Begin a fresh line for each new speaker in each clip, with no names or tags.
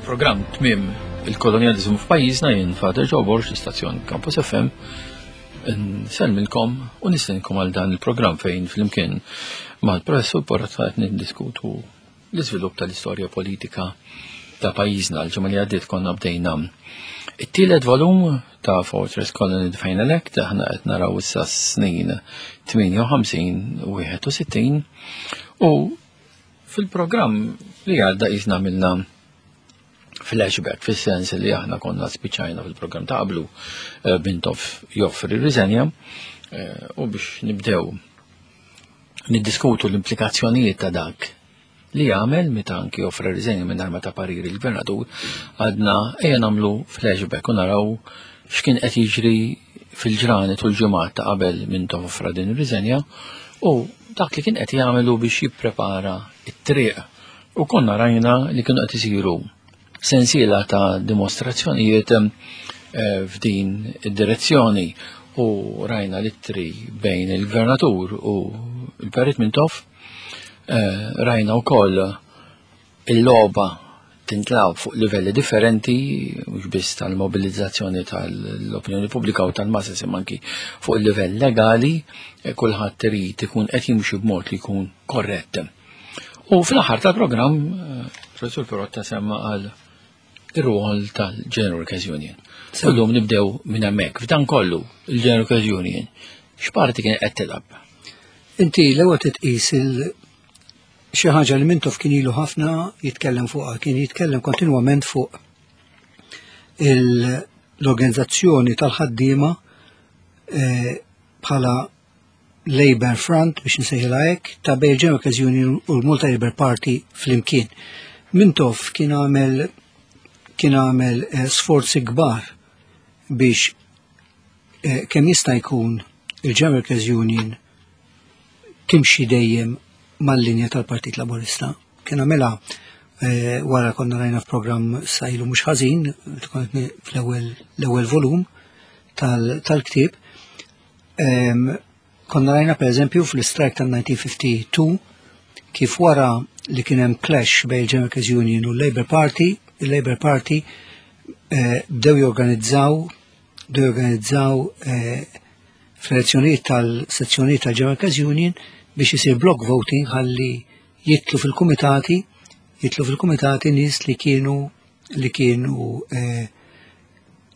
Il-programm Tmiem il-Kolonjaliżmu f'pajjiżna jien Father Joe Borg, l-istazzjon Campus FM. Nsellmilkom u nistenkom għal dan il-programm fejn flimkien mal-professur Porrotta qed niddiskutu l-iżvilupp tal-istorja politika ta' pajjiżna. L-ġimgħa li għaddiet konna bdejna it-tielet volum ta' Fortress Colony The Final Act, aħna qed naraw issa snin 58 u 61 u fil-programm li għadda qisna għamilna flashback fis-sens li aħna konna spiċajna fil-programm ta' qablu eh, Mintoff joffri riżenja eh, u biex nibdew niddiskutu l-implikazzjonijiet ta' dak li għamel meta anki offra riżenja minn arma ta' parir il-gvernatur għadna ejja nagħmlu flashback u naraw x'kien qed jiġri fil-ġranet u l-ġimgħat ta' qabel Mintoff offra din ir-riżenja u dak li kien qed jagħmelu biex jipprepara t-triq. U konna rajna li kienu qed isiru sensiela ta' dimostrazzjonijiet eh, f'din id-direzzjoni u rajna l-ittri bejn il-gvernatur u l-Perit Mintoff, eh, rajna wkoll il-logħba tintlagħab fuq livelli differenti, mhux biss tal-mobilizzazzjoni tal-opinjoni pubblika u tal-masses imma anki fuq il-livell legali, eh, kulħadd irid ikun qed jimxi b'mod li jkun korrett. U fl-aħħar tal-programm, eh, Professur Perotta semma għal ir-rwol tal-General Workers Union. Illum nibdew minn hemmhekk. F'dan kollu, il-General Workers Union, x'parti kien qed tilgħab?
Inti l-ewwel titqis il xi ħaġa li Mintoff kien ilu ħafna jitkellem fuqha, kien jitkellem kontinwament fuq l-organizzazzjoni tal-ħaddiema eh, bħala Labour Front biex nsejħilha hekk ta' bejn il-General Workers Union u l-Malta Labour Party flimkien. Mintoff kien għamel kien għamel eh, sforzi kbar biex eh, kemm jista' jkun il-General Workers Union timxi dejjem mal-linja tal-Partit Laburista. Kien għamilha eh, wara konna rajna f'programm sajlu mhux ħażin, fl-ewwel l-ewwel volum tal-ktieb. Konna rajna pereżempju fl-istrajk tal-1952 kif wara li kien hemm clash bejn il-General Workers Union u l-Labour Party, il-Labour Party eh, bdew jorganizzaw bdew jorganizzaw eh, fl-elezzjonijiet tal-sezzjonijiet tal-General Workers Union biex isir block voting ħalli jitlu fil-kumitati jitlu fil-kumitati nies li kienu li kienu eh,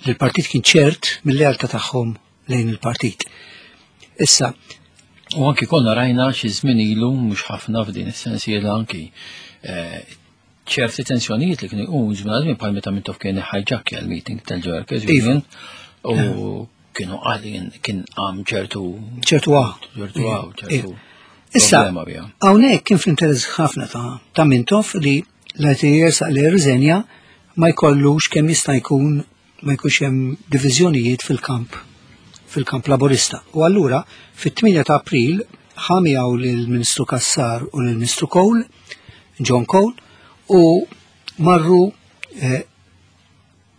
li l-partit kien ċert mill-lealtà tagħhom lejn il-partit. Issa,
U anki konna rajna xi żmien ilu mhux ħafna f'din is-sensiela anki eh, ċerti tensjonijiet li kienu jqumu żmien żmien bħal meta Mintoff kien ħajġakkja l-meeting tal-Workers
iva.
Union u kienu għalin kien għam ċertu
ċertu għaw.
ċertu għaw, ċertu
Issa,
problema biha.
hawnhekk kien fl-interess ħafna ta' ta' Mintoff li l-ITS li riżenja ma jkollux kemm jista' jkun ma jkunx hemm diviżjonijiet fil-kamp fil-kamp laburista. U allura fit-8 ta' April ħa miegħu lill-Ministru Cassar u lill-Ministru Cole, John Cole, u marru eh,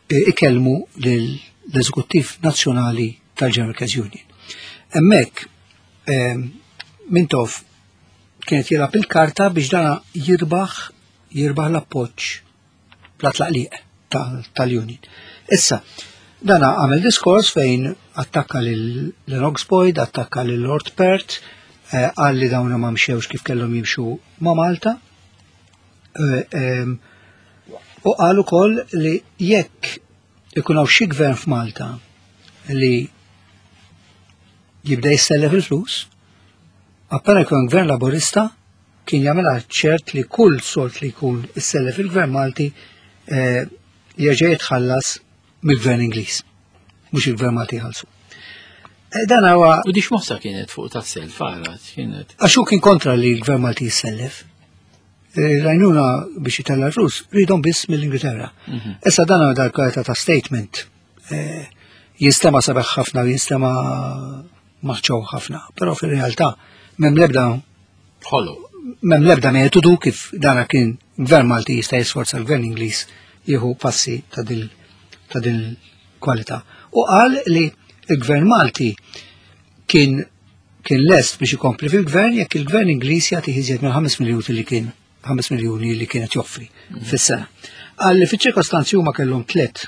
ikellmu l-Eżekuttiv Nazzjonali tal-General Workers Union. Hemmhekk eh, Mintoff kienet jilgħab il-karta biex dana jirbaħ jirbaħ l-appoġġ bla tlaqliq tal-union. Issa, dana għamel diskors fejn attakka lil Lennox Boyd, attakka lil Lord Perth, eh, qal li dawna ma mxewx kif kellhom jimxu ma' Malta. Eh, u qal ukoll li jekk ikun hawn xi gvern f'Malta li jibda jissellef il-flus, appena jkun gvern laburista kien jagħmilha ċert li kull sold li jkun issellef il-gvern Malti eh, jerġa' jitħallas mill-gvern Ingliż, mhux il-gvern Malti jħallsu. Eh, dan huwa
U dix mossa kienet fuq ta' self għara, kienet.
Għax hu kien kontra li l-gvern Malti jissellef. Eh, Rajnuna biex jitella l-flus, ridhom biss mill-Ingilterra. Mhm. Issa dan huwa dal-kwalità ta' statement. Eh, jinstema sabeħ ħafna u jinstema maħċow ħafna, però fil-realtà m'hemm l-ebda
Ħollu.
M'hemm l-ebda metodu kif dana kien gvern Malti jista' jisforza l-gvern Ingliż jieħu passi ta' din ta' din kwalità. U qal li l-gvern Malti kien kien lest biex ikompli fil-gvern jekk il-gvern Ingliż jagħti iżjed minn 5 miljun li kien 5 miljuni li kienet joffri fis-sena. Qal li fiċ-ċirkostanzi huma kellhom tliet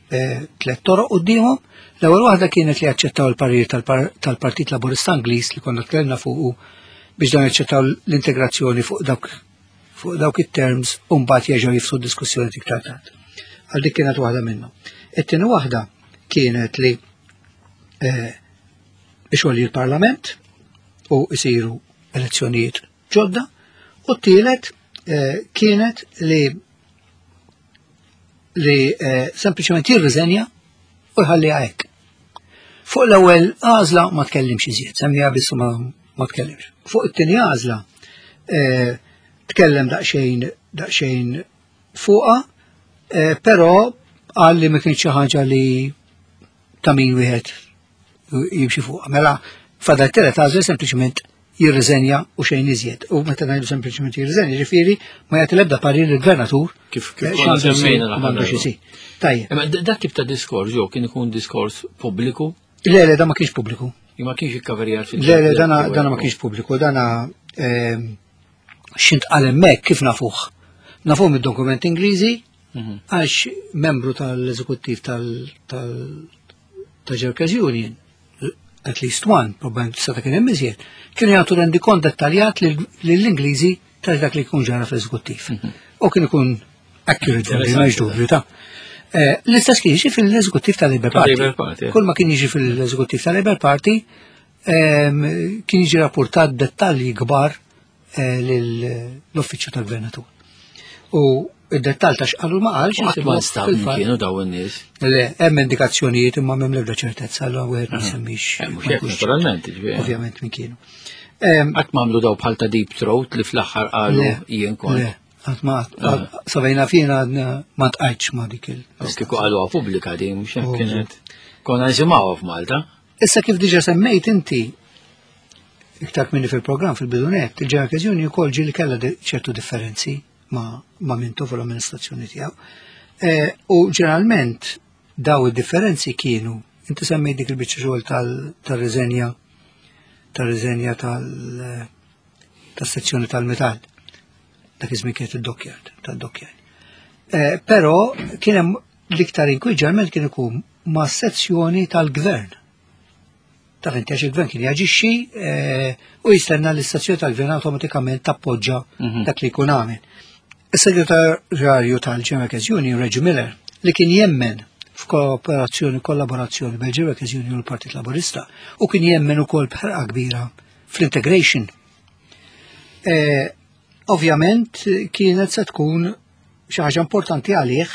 eh, tliet toroq quddiemhom. L-ewwel waħda kienet li jaċċettaw il-parir tal-Partit Laburista Ingliż li konna tkellimna fuqu biex dan jaċċettaw l-integrazzjoni fuq dawk fuq dawk it-terms u mbagħad jerġgħu jifsu d-diskussjoni iktar tard. Għal dik kienet waħda minnhom. It-tieni waħda kienet li eh, ixolli l-Parlament u jsiru elezzjonijiet ġodda u t-tielet eh, kienet li li eh, sempliċement jirriżenja u jħalli hekk. Fuq l-ewwel għażla ma tkellimx iżjed, semmija biss ma, ma tkellimx. Fuq it-tieni għażla eh, tkellem daqsxejn daqsxejn fuqha, eh, però qal li ma kienx xi ħaġa li ta' min wieħed jimxi fuqha. Mela fadal telet għażla sempliċement jirriżenja u xejn iżjed. U meta ngħidu sempliċement jirriżenja, ġifieri ma jagħti l-ebda parir lill-gvernatur
kif kif eh, semmejna
m'għandux isir.
Tajjeb. Imma dak tip ta' diskors jew kien ikun diskors pubbliku?
Le, le, da ma kienx pubbliku.
Ma kienx ikkaverjat
fil Le, le, dana dana ma kienx pubbliku, dana ehm, xint qal hemmhekk kif nafuh. Nafuh mid-dokument Ingliżi mhm. għax membru tal-eżekuttiv tal-Workers Union at least one, probablement seta' kien hemm iżjed, kienu jagħtu rendikont dettaljat lill-Ingliżi ta' dak li jkun ġara fl-eżekuttiv. Mhm. U kien ikun accurate, ma dubju ta' eh, L-istess kien jiġi fil-eżekuttiv tal-Labour Party. Kull ma kien jiġi fil-eżekuttiv tal-Labour Party ehm, kien jiġi rapportat dettalji kbar eh, l-uffiċċju tal-gvernatur. U id-dettal ta' xqalu ma qalx.
Qatt ma nstab kienu daw in-nies.
Le, hemm indikazzjonijiet imma m'hemm l-ebda ċertezza allura wieħed ma jsemmix.
Eh, mhux hekk naturalment,
ġifieri. Ovvjament min kienu.
Qatt m'għamlu daw bħal ta' deep throat li fl-aħħar qalu jien kont.
Le, qatt ma sabejna fina ma tqajtx ma dik il.
Kieku qaluha pubblika din mhux hekk kienet. Konna nisimgħuha f'Malta.
Issa kif diġa semmejt inti, iktar minni fil-programm fil-bidunet, il-Ġeneral Union ukoll ġieli kellha ċertu differenzi ma', ma Mintoff u l-amministrazzjoni tiegħu. E, u ġeneralment daw id-differenzi kienu, inti semmejt dik il-biċċa xogħol tal-riżenja tal-riżenja tal-sezzjoni tal-metall. Dak iż-żmien kienet id-dockyard, tad-dockyard. E, però kien hemm l-iktar inkwiet ġeneralment kien ikun ma' sezzjoni tal-gvern. Taf inti għax il-gvern kien jaġixxi eh, u jistenna l-istazzjoni tal-gvern awtomatikament tappoġġa mhm. dak li jkun għamel. Is-segretarju tal-General Workers Union, Reggie Miller, li kien jemmen f'kooperazzjoni kollaborazzjoni bil Workers Union u l-Partit Laburista u kien jemmen ukoll b'ħerqa kbira fl-integration. Eh, ovvjament kienet se tkun xi ħaġa importanti għalih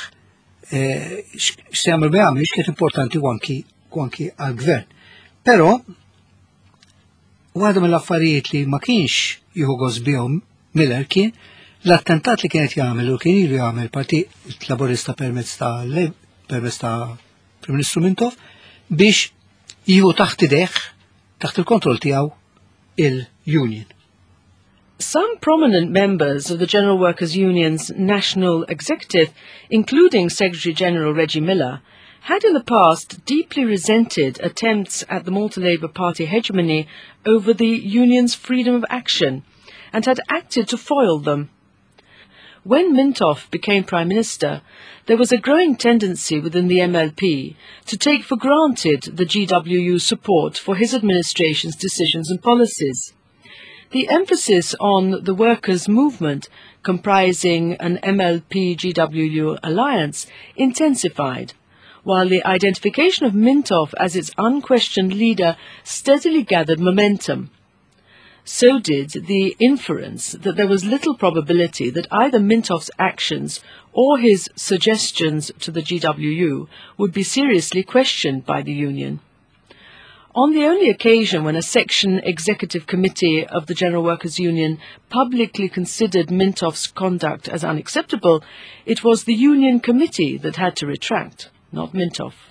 eh, x'se jagħmel ma jagħmilx kienet importanti u anki u anki għall-gvern. Però waħda mill-affarijiet li ma kienx jieħu gost bihom Miller kien l-attentat li kienet jagħmel u kien ilu jagħmel Partit Laburista permezz ta' permezz ta' Prim Ministru Mintoff biex jieħu taħt idejh taħt il-kontroll tiegħu il-union.
Some prominent members of the General Workers' Union's national executive, including Secretary General Reggie Miller, had in the past deeply resented attempts at the Malta Labour Party hegemony over the union's freedom of action and had acted to foil them. When Mintoff became Prime Minister, there was a growing tendency within the MLP to take for granted the GWU support for his administration's decisions and policies. The emphasis on the workers' movement, comprising an MLP-GWU alliance, intensified, while the identification of Mintoff as its unquestioned leader steadily gathered momentum. So did the inference that there was little probability that either Mintoff's actions or his suggestions to the GWU would be seriously questioned by the union. On the only occasion when a section executive committee of the General Workers' Union publicly considered Mintoff's conduct as unacceptable, it was the union committee that had to retract, not Mintoff.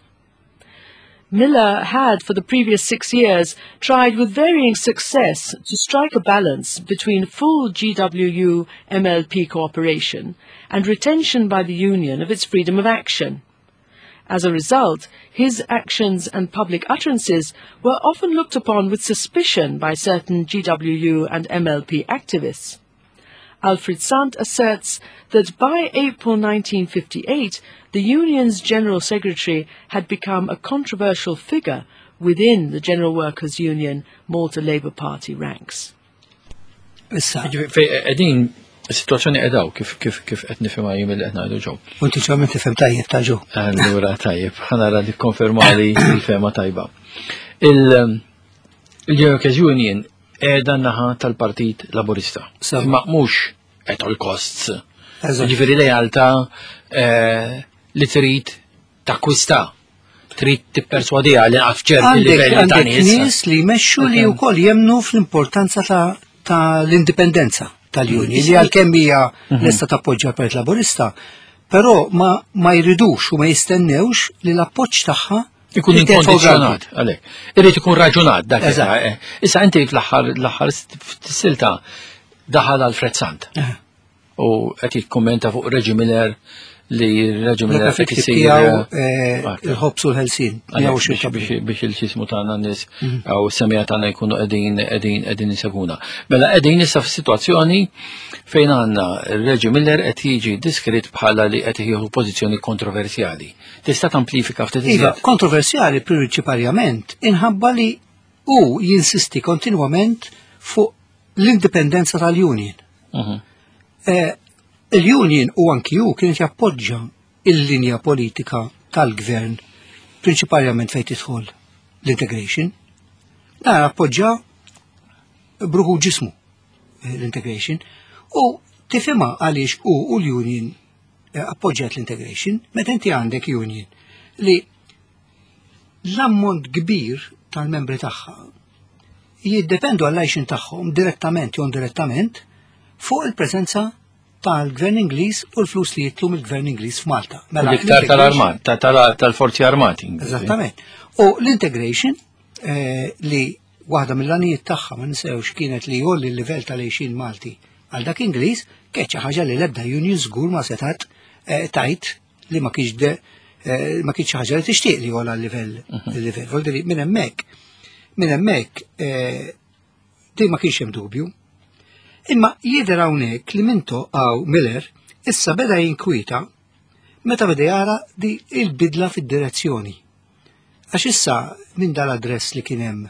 Miller had, for the previous 6 years, tried with varying success to strike a balance between full GWU MLP cooperation and retention by the union of its freedom of action. As a result, his actions and public utterances were often looked upon with suspicion by certain GWU and MLP activists. Alfred Sant asserts that by April 1958, the union's general secretary had become a controversial figure within the General Workers' Union Malta Labour Party ranks.
Issa.
Qegħdin is-sitwazzjoni qedaw kif kif kif qed nifhimha jien milli qed ngħidu ġew.
U inti ġew tifhem tajjeb ta' ġew.
Allura tajjeb, ħanara li konfermali l-fehma tajba. Il-Workers Union qiegħda naħa tal-Partit Laburista. Ma mhux at all costs. Ġifieri lealtà eh, li trid takkwista trid tipperswadiha li għaf ċerti livelli
ta' nies. nies li jmexxu li wkoll jemnu fl-importanza ta' l-indipendenza tal-union li għalkemm hija mhm. lesta tappoġġja l-Partit Laburista, però ma, ma jridux u ma jistennewx li l-appoġġ tagħha
Ikun inkondizjonat, għalek. Irrid ikun raġunat dak. Eh. Issa inti fl-aħħar l-aħħar silta daħal Alfred Sant. Eh. U qed jikkummenta fuq Reggie Miller li Reggie Miller
qed isir eh, il-ħobs u l-ħelsin.
Biex il-xismu tagħna nies mhm. u semija tagħna jkunu qegħdin qegħdin qegħdin iseguna. Mela qegħdin issa f'sitwazzjoni fejn għandna Reggie Miller qed jiġi diskrit bħala li qed jieħu pożizzjoni kontroversjali. Tista' tamplifika ftit
iżjed. Iva, kontroversjali prinċipalment inħabba li hu jinsisti kontinwament fuq l-indipendenza tal-union. Mhm. Eh, il-union u anki hu kienet jappoġġa il-linja politika tal-gvern prinċipalment fejn tidħol l-integration. Dan appoġġa bruħu ġismu eh, l-integration u tifhimha għaliex u u l-union eh, appoġġjat l-integration, meta inti għandek union li l-ammont kbir tal-membri tagħha jiddependu għall-għajxin tagħhom direttament jew indirettament fuq il-preżenza tal-Gvern Ingliż u l-flus li jitlu mill-Gvern Ingliż f'Malta.
Mela, l-iktar tal-armat, tal-forzi armati.
Eżattament. U l-integration eh, li waħda mill-għanijiet tagħha ma ninsewx kienet li jgħolli l-livell tal-għixien Malti għal dak Ingliż, kienet xi ħaġa li l-ebda union żgur ma setat eh, tajt li ma kienx eh, ma kienx ħaġa li tixtieq li jgħola l-livell mhm. il-livell. Voldiri minn hemmhekk minn hemmhekk eh, di ma kienx hemm dubju. Imma jidher hawnhekk li minto għaw Miller issa beda jinkwieta meta beda jara di il-bidla fid-direzzjoni. Għax issa minn dal-address li kien hemm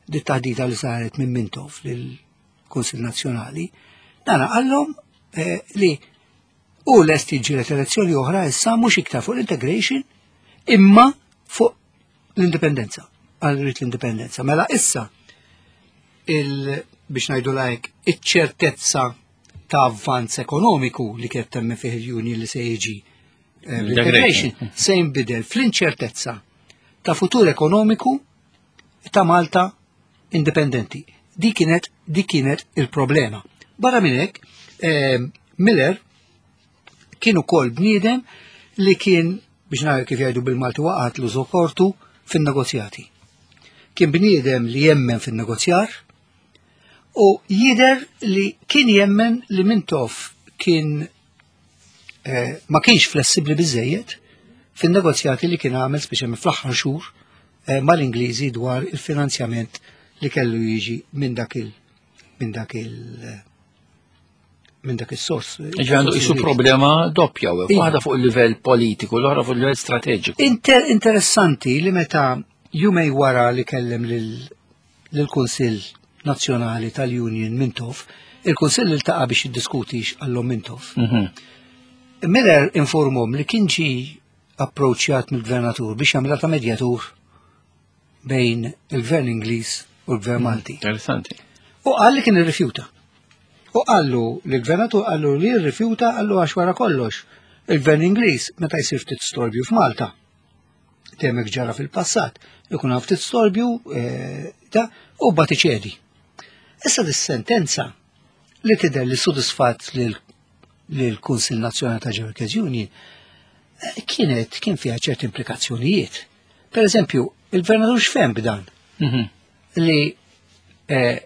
di taħdita li saret minn Mintoff lill-Kunsill Nazzjonali, dana qallhom eh, li u lest jiġġieled elezzjoni oħra issa mhux iktar fuq l-integration imma fuq l-indipendenza, għal rrit l-indipendenza. Mela issa il biex ngħidu lajk iċ-ċertezza ta' avvanz ekonomiku li kienet temmen fih il-union li se jiġi eh, l-integration se jinbidel fl-inċertezza ta' futur ekonomiku ta' Malta indipendenti. Di kienet di kienet il-problema. Barra minn hekk, eh, Miller kien ukoll bniedem li kien biex ngħid kif jgħidu bil-Malti waqgħat l kortu fin-negozjati. Kien bniedem li jemmen fin-negozjar u jider li kien jemmen li Mintoff kien eh, ma kienx flessibbli biżejjed fin-negozjati li kien għamel speċjalment fl-aħħar xhur eh, mal-Ingliżi dwar il-finanzjament li kellu jiġi minn dak il minn dak il minn dak is-sors.
Ġi għandu isu problema doppja, u iva. waħda fuq il-livell politiku, l-oħra fuq il-livell strateġiku.
Inter interessanti li meta jumej wara li kellem lill-Kunsill Nazzjonali tal-Union Mintoff, il-Kunsill iltaqa' biex jiddiskuti x'qallhom Mintoff. Mhm. Miller informhom li kien ġi approċċjat mill-gvernatur biex jagħmilha ta' medjatur bejn il-gvern Ingliż u l-gvern mhm. Malti.
Interessanti.
U qal li kien irrifjuta. U qallu l-gvernatur qallu li rrifjuta qallu għax wara kollox. Il-gvern Ingliż meta jsir ftit storbju f'Malta Temek ġara fil-passat, ikun hawn ftit storbju eh, ta' u bat iċedi. Issa dis-sentenza li tidher li sodisfatt lill-Kunsill Nazzjonali ta' Workers Union eh, kienet kien fiha ċerti implikazzjonijiet. Per eżempju, il-gvernatur x'fhem b'dan? Mhm. Li eh,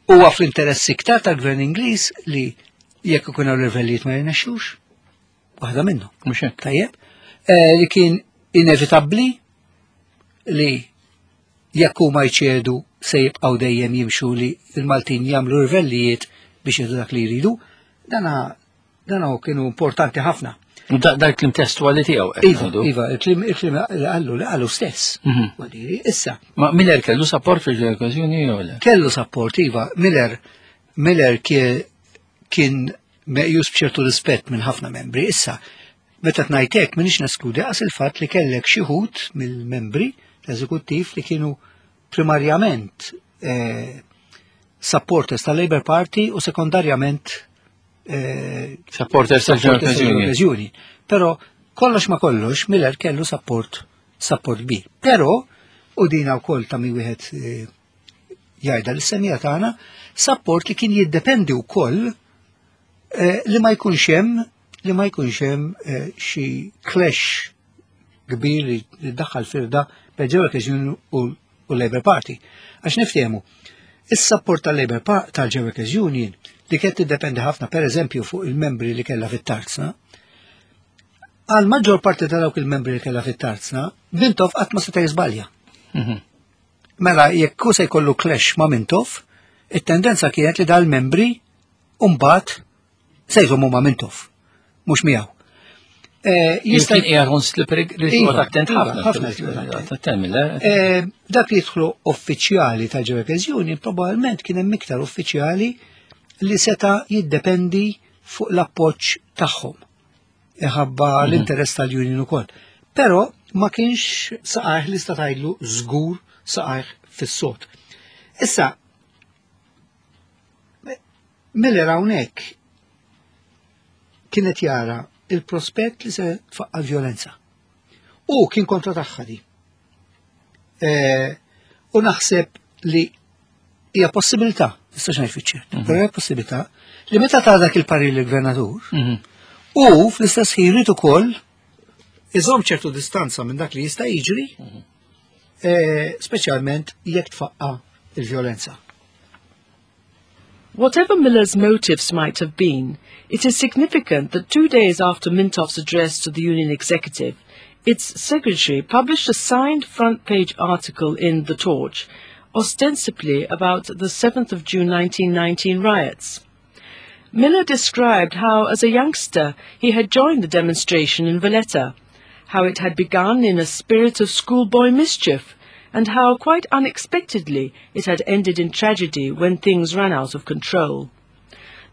huwa fl-interess iktar tal-gvern Ingliż li jekk ikun hawn livellijiet ma jirnexxux, waħda minnhom.
Mhux hekk.
Tajjeb. Eh, li kien inevitabbli li jekk huma jċedu se jibqgħu dejjem jimxu li l-Maltin jagħmlu rivellijiet biex jieħdu dak li jridu. Dana dana kienu importanti ħafna.
Da kliem testuali tiegħu.
Iva, iva, il-kliem li qallu li qallu stess. Mhm. Issa.
Ma Miller kellu support fil-Workers Union jew le?
Kellu support, iva. Miller Miller kien meqjus b'ċertu rispett minn ħafna membri. Issa, meta tnajtek minix neskludi qas il-fatt li kellek xi ħut mill-membri l-eżekuttiv li kienu primarjament eh, supporters tal-Labour Party u sekondarjament
eh, supporters tal-Workers
Union. Però kollox ma kollox Miller kellu support support kbir. Però u dina wkoll ta' mi wieħed eh, jgħidha l-semija tagħna, support li kien jiddependi wkoll eh, li ma jkunx hemm li ma jkunx hemm eh, xi clash kbir li daħħal firda bejn Workers Union u l-Labour Party. Għax niftehmu, is-support tal-Labour tal-Workers Union li kienet tiddependi ħafna per eżempju fuq il-membri li kellha fit-tarzna, għal maġġor parti ta' dawk il-membri li kellha fit-tarzna, Mintoff qatt ma seta' jiżbalja. Mhm. Mela jekk hu se jkollu clash ma' Mintoff, it-tendenza kienet li dal-membri mbagħad se jżommu ma' Mintoff, mhux miegħu.
Eh, jista' qiegħed on slippery li iva, attent
iva, ħafna. Eh? Eh, dak li jidħlu uffiċjali tal-Workers Union probabbilment kien hemm iktar uffiċjali li seta' jiddependi fuq l-appoġġ tagħhom. Iħabba mhm. l-interess tal-union ukoll. Però ma kienx saqajh li sta tgħidlu żgur saqajh fis-sod. Issa, Miller hawnhekk kienet jara il-prospett li se tfaqqa violenza. U kien kontra tagħha di. E, u naħseb li hija possibilità, nistax ngħid fiċ-ċert, mhm. però hija possibilità li meta ta' dak il-parir l-gvernatur, mhm. u fl-istess ħin irid ukoll iżomm ċertu distanza minn dak li jista' jiġri, mhm. e, speċjalment jekk tfaqqa il-vjolenza.
Whatever Miller's motives might have been, it is significant that two days after Mintoff's address to the union executive, its secretary published a signed front page article in The Torch, ostensibly about the 7th of June 1919 riots. Miller described how, as a youngster, he had joined the demonstration in Valletta, how it had begun in a spirit of schoolboy mischief, and how, quite unexpectedly, it had ended in tragedy when things ran out of control.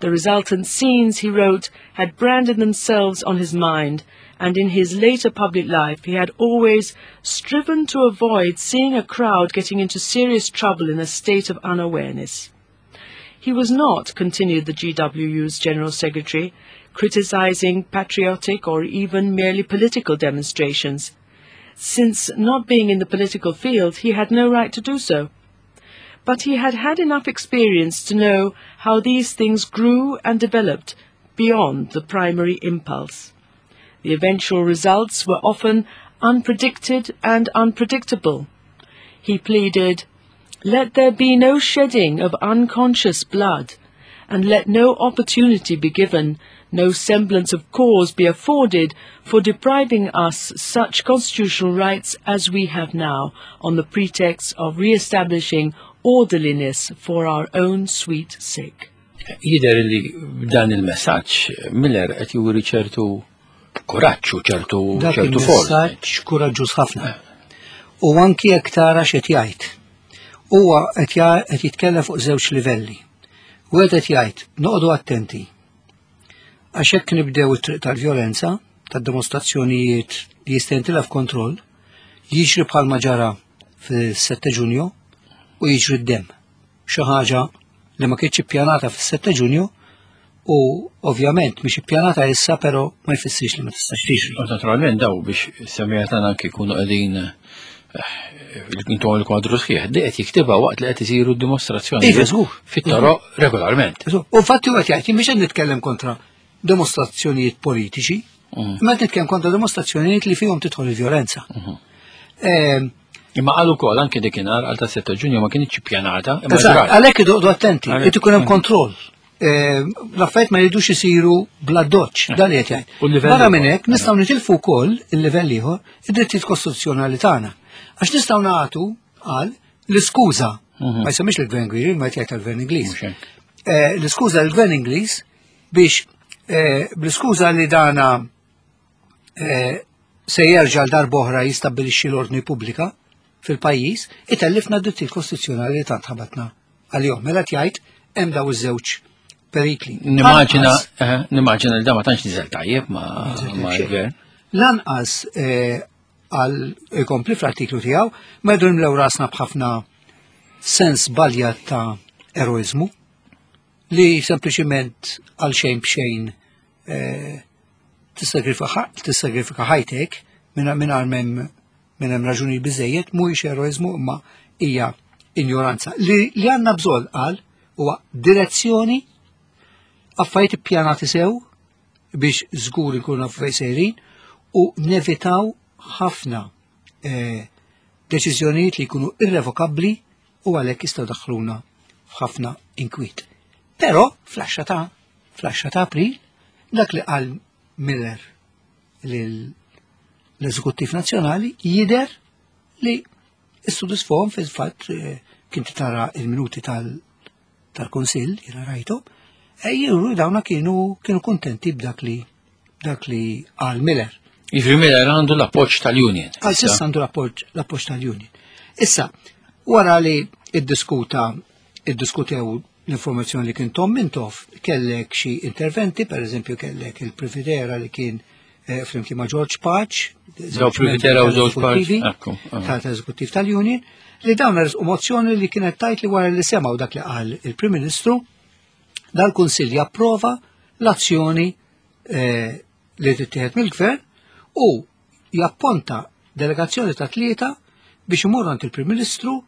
The resultant scenes, he wrote, had branded themselves on his mind, and in his later public life he had always striven to avoid seeing a crowd getting into serious trouble in a state of unawareness. He was not, continued the GWU's General Secretary, criticizing patriotic or even merely political demonstrations, since not being in the political field he had no right to do so. But he had had enough experience to know how these things grew and developed beyond the primary impulse. The eventual results were often unpredicted and unpredictable. He pleaded, Let there be no shedding of unconscious blood, and let no opportunity be given, no semblance of cause be afforded for depriving us such constitutional rights as we have now, on the pretext of re-establishing orderliness for our own sweet sake.
Jider li b'dan il-messaġġ Miller qed juri ċertu kuraġġ u ċertu
ċertu forza. Messaġġ kuraġġuż ħafna. U anki jekk tara x'qed jgħid. Huwa qed jitkellem fuq żewġ livelli. Wieħed qed jgħid noqogħdu attenti. Għax hekk nibdew it-triq tal-vjolenza, tad-dimostrazzjonijiet li jista' jintilef kontroll, jiġri bħalma ġara fis-7 Ġunju u jiġri d-demm. Xi ħaġa li ma kienx ippjanata fis-7 Ġunju u ovvjament mhix ippjanata issa però ma jfissirx li ma tistax tiġri.
U naturalment daw biex semmiha tagħna anke jkunu qegħdin eh, intom il-kwadru sħiħ, di qed jiktibha waqt li qed isiru dimostrazzjoni.
Iva, żgur.
Fit-toroq regolarment.
U fatti huwa jgħid mhix qed nitkellem kontra dimostrazzjonijiet politiċi, imma qed nitkellem kontra dimostrazzjonijiet li fihom tidħol il-vjolenza. Mhm.
Ehm, imma qal ukoll anke dikinhar għal ta' 6 Ġunju ma kienx ippjanata.
Għalhekk idoqdu attenti, irid ikun hemm kontroll. Ehm, l-affarijiet ma jridux isiru bla doċ, dan li qed jgħid. Barra minn hekk nistgħu nitilfu wkoll il-livell ieħor id-drittijiet kostituzzjonali tagħna. Għax nistgħu nagħtu qal l-iskuża, mhm. ma jsemmix l-Gvern Gwiri, ma jgħid tal-Gvern Ingliż. Eh, l-iskuża l-Gvern Ingliż Biex eh, bl-iskuża li dana eh, se jerġa' l-darb'oħra jistabbilixxi l-ordni pubblika fil-pajjiż, itellifna d-drittijiet kostituzzjonali li tant ħabatna għalihom. Mela jgħid hemm daw iż-żewġ perikli.
Nimmaġina eh, nimmaġina li da ma tantx niżel tajjeb ma gvern.
Lanqas eh, għal ikompli fl-artiklu tiegħu ma jdu nimlew rasna b'ħafna sens balja ta' eroizmu li sempliċiment għal xejn b'xejn eh, tissagrifika ħajtek minn minn minn hemm raġuni biżejjed mhuwiex eroiżmu imma hija injoranza. Li, li għandna bżonn qal huwa direzzjoni affarijiet ippjanati sew biex żgur ikunu nafu fejn sejrin u nevitaw ħafna eh, deċiżjonijiet li jkunu irrevokabbli u għalhekk jistgħu daħluna f'ħafna inkwiet. Però fl-10 ta' fl-10 ta' April dak li qal Miller l-Eżekuttiv Nazzjonali jidher li issodisfahom fil-fatt eh, kien tara il-minuti tal-Kunsill, jiena rajtu, e juru dawna kienu kienu kontenti b'dak li dak li qal Miller.
Jiġifieri Miller għandu l-appoġġ tal-Union.
Għal s'issa għandu l-appoġġ tal-Union. Issa, wara li iddiskuta iddiskutew l-informazzjoni li kien Tom Mintoff, kellek xi interventi, per eżempju kellek il-Privitera li kien eh, flimkien ma' George Paċ,
Daw Privitera u George Paċ,
tal-eżekuttiv tal-Union, li dawn u mozzjoni li kienet tajt li wara li semgħu dak li qal il-Prim Ministru, dal-Kunsill japprova l-azzjoni eh, li tittieħed mill-Gvern u japponta delegazzjoni ta' tlieta biex imorru għand il-Prim Ministru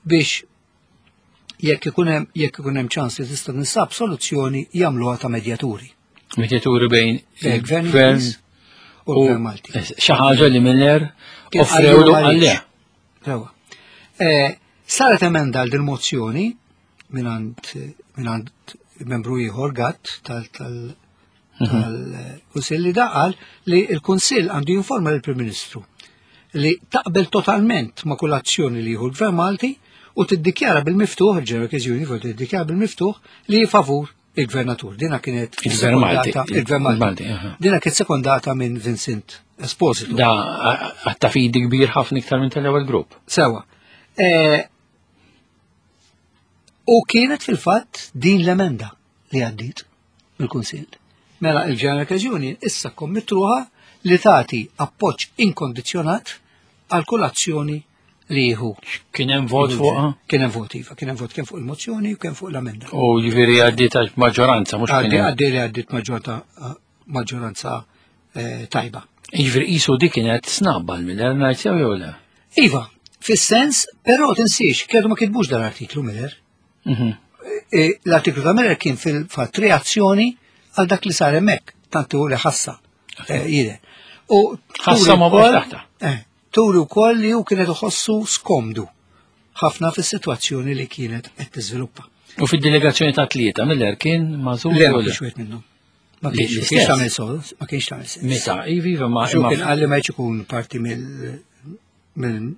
biex jekk ikun hemm jekk ikun hemm ċans li tista' tinsab soluzzjoni jagħmluha ta' medjaturi.
Medjaturi bejn
il-Gvern u l-Gvern Malti.
Eh, xi ħaġa li Miller offrewlu għalli.
Rewa. Eh, saret emenda għal din mozzjoni mingħand membru ieħor Gatt tal mhm. tal-Kunsill li daqal li l-Kunsill għandu jinforma lill-Prim Ministru li taqbel totalment ma' kull azzjoni li jieħu l-Gvern Malti u tiddikjara bil-miftuħ, il-General Union tiddikjara bil-miftuħ li favur il-gvernatur. Dina kienet
il-Gvern Malti.
Il-Gvern Malti. Dina kienet sekondata minn Vincent Esposito.
Da għatta fidi kbir ħafna iktar minn tal-ewwel grupp.
Sewa. E, u kienet fil-fatt din l-emenda li għaddit mill-Kunsill. Mela il-General Union issa kommittruha li tagħti appoġġ inkondizzjonat għal kull azzjoni li jieħu.
Kien hemm vot fuqha?
Kien hemm vot iva, kien hemm vot kemm fuq il-mozzjoni u kemm fuq l-amenda.
U jiġifieri għaddiet għax maġġoranza mhux kien hemm.
Għaddi li għaddiet maġġoranza eh, tajba.
Jiġifieri qisu dik kienet snabba l-Miller ngħid sew jew le?
Iva, fis-sens, però tinsiex, kienu ma kitbux dan l-artiklu Miller. Mhm. E, l-artiklu ta' Miller kien fil-fatt reazzjoni għal dak li sar hemmhekk, tantu li ħassa. E, jide.
U ħassa ma taħta.
Eh, turi wkoll li hu kienet iħossu skomdu ħafna fis-sitwazzjoni li kienet qed tiżviluppa.
U fid-delegazzjoni ta' tlieta Miller kien magħżul.
Le, ma kienx wieħed minnhom. Ma kienx tagħmel sens, ma kienx tagħmel sens.
Meta, ivi, ma.
Kien qalli ma jkun parti mill
mill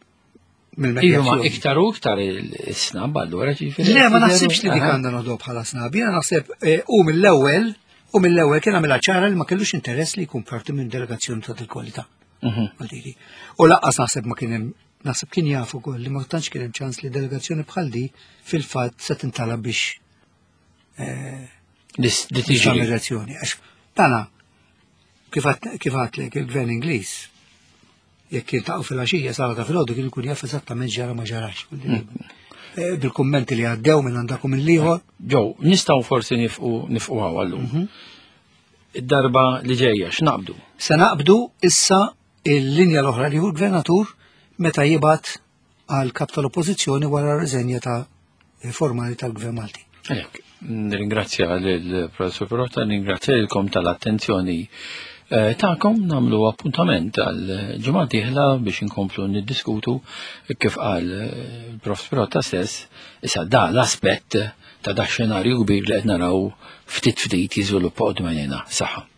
ma iktar u iktar il-snab allura
ġifieri. Le, ma naħsibx li dik għandha noħdu bħala snab. Jiena naħseb eh, u mill-ewwel u mill-ewwel kien għamilha ċara li ma kellux interess li jkun parti minn delegazzjoni ta' dil-kwalità. Mhm. U laqqas naħseb ma kien hemm naħseb kien jaf ukoll li ma tantx kien hemm ċans li delegazzjoni bħal di fil-fatt se tintalab biex
eh, li tiġi
reazzjoni. Għax tana kif għatlek il-gvern Ingliż jekk jiltaqgħu fil-għaxija sala ta' filgħodu kien ikun jaf eżattament ġara ma ġarax. Mm. Eh, bil-kummenti li għaddew minn għandakom il-liħor.
Ġew, nistgħu forsi nifqu nifqu għallum. Mhm. Id-darba li ġejja x'naqbdu?
Se naqbdu issa il-linja l-oħra li hu l-gvernatur meta jibgħat għal kap tal-oppożizzjoni wara r-riżenja ta' formali tal-Gvern Malti.
Għalhekk, nirringrazzja lill-Professur Pirotta, nirringrazzja lilkom tal-attenzjoni eh, tagħkom nagħmlu appuntament għal ġimgħa dieħla biex inkomplu niddiskutu kif qal eh, il-Prof Pirotta stess issa da l-aspett ta' da xenarju kbir li qed naraw ftit ftit jiżviluppa qudiem Saħħa.